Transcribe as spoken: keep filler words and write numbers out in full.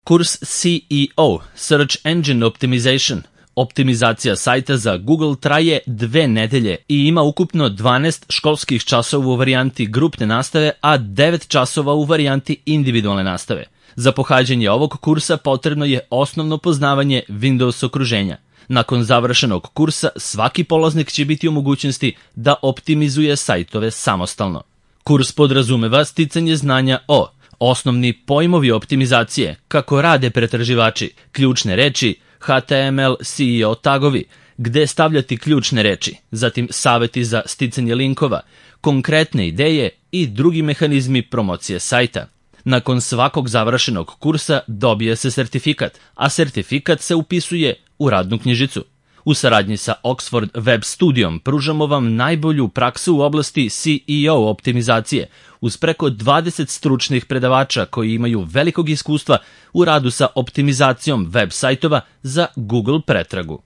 Kurs C E O, Search Engine Optimization, optimizacija sajta za Google traje dve nedelje i ima ukupno dvanaest školskih časova u varijanti grupne nastave, a devet časova u varijanti individualne nastave. Za pohađanje ovog kursa potrebno je osnovno poznavanje Windows okruženja. Nakon završenog kursa, svaki polaznik će biti u mogućnosti da optimizuje sajtove samostalno. Kurs podrazumeva sticanje znanja o osnovni pojmovi optimizacije, kako rade pretraživači, ključne reči, H T M L, S E O tagovi, gde stavljati ključne reči, zatim saveti za sticanje linkova, konkretne ideje i drugi mehanizmi promocije sajta. Nakon svakog završenog kursa dobije se sertifikat, a sertifikat se upisuje u radnu knjižicu. U saradnji sa Oxford Web Studijom pružamo vam najbolju praksu u oblasti C E O optimizacije, uz preko dvadeset stručnih predavača koji imaju velikog iskustva u radu sa optimizacijom web sajtova za Google pretragu.